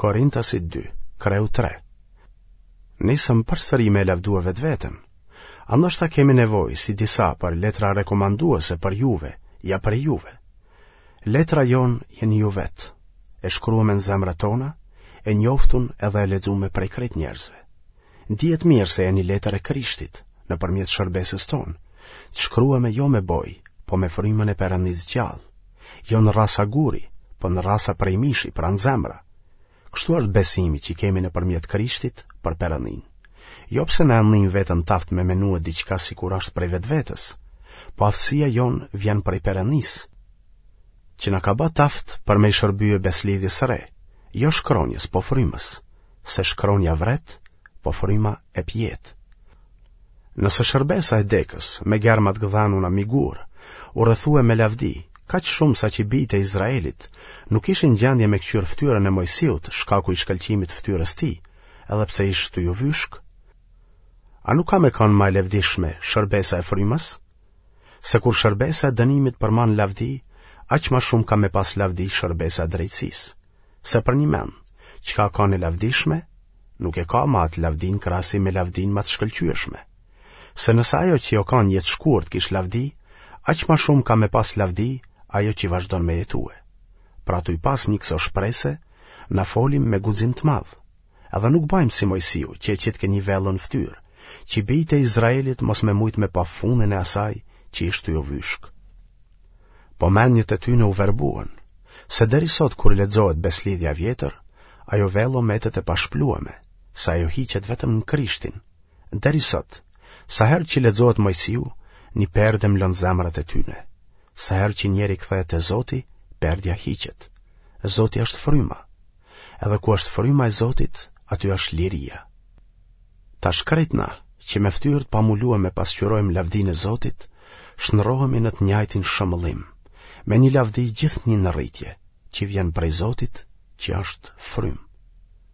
Korintasit 2, kreu 3. Nisëm përsëri me e lavdue vetveten. A ndoshta kemi nevojë, si disa, për letra rekomanduese për juve, ja prej juve. Letra jonë jeni ju vetë, e shkrueme në zemrat tona, e njoftun edhe e lexume prej krejt njerëzve. Dihet mirë se jeni letër e Krishtit, nëpërmjet shërbesës tonë, të shkrueme jo me bojë, po me frymën e Perëndisë gjallë, jo në rrasa guri, po në rrasa prej mishi, pra në zemra. Kështu është besimi që kemi nëpërmjet Krishtit për Perëndinë. Jo pse na e ndijmë veten t'aftë me menue diçka sikur është prej vetvetes, po aftësia jonë vjen prej Perëndisë, që na ka ba t'aftë për me i shërbye beslidhjes së re, jo shkronjës, po frymës, se shkronja vret, po fryma ep jetë. Nëse shërbesa e dekës, me germa të gdhenuna mi gurë, u rrethue me lavdi, kaq shumë sa që bijtë e Izraelit nuk ishin n'gjendje me këqyrë fytyrën e Moisiut shkaku i shkëlqimit të fytyrës tij, edhe pse ish tu ju vyshk, a nuk ka me kanë ma e levdishme shërbesa e frymës? Se kur shërbesa e dënimit përman lavdi, aq ma shumë ka me pas lavdi shërbesa e drejtësisë. Se përnjëmend, çka kanë e lavdishme, nuk e ka ma atë lavdi në krahasim me lavdinë ma të shkëlqyeshme. Se nëse ajo që o kanë jetëshkurt kish lavdi, aq ma shumë ka me pas lavdi ajo që vazhdon me jetue. Pra tuj pas një këso shprese, na folim me guxim të madh. Edhe nuk bajmë si Mojsiu, që e qitke një vello në ftyrë, që bijtë e Izraelit mos me mujtë me pa fundin e asaj që ish tu ju vyshk. Po mendjet e tyne u verbuen, se deri sot kur lexohet beslidhja e vjetër, ajo vello metet e pashplueme, se ajo hiqet vetëm në Krishtin. Deri sot, sa herë që lexohet Mojsiu, një perde mlon zemrat e tyne. Sa herë që njeri kthehet te Zoti, perdja hiqet. Zoti është fryma. Edhe ku është fryma e Zotit, aty është liria. Tash krejt na, që me ftyrë të pamulueme pasqyrojmë lavdinë e Zotit, shndërrohemi në të njajtin shëmbëllim, me një lavdi gjithnjë në rritje, që vjen prej Zotit, që është frymë.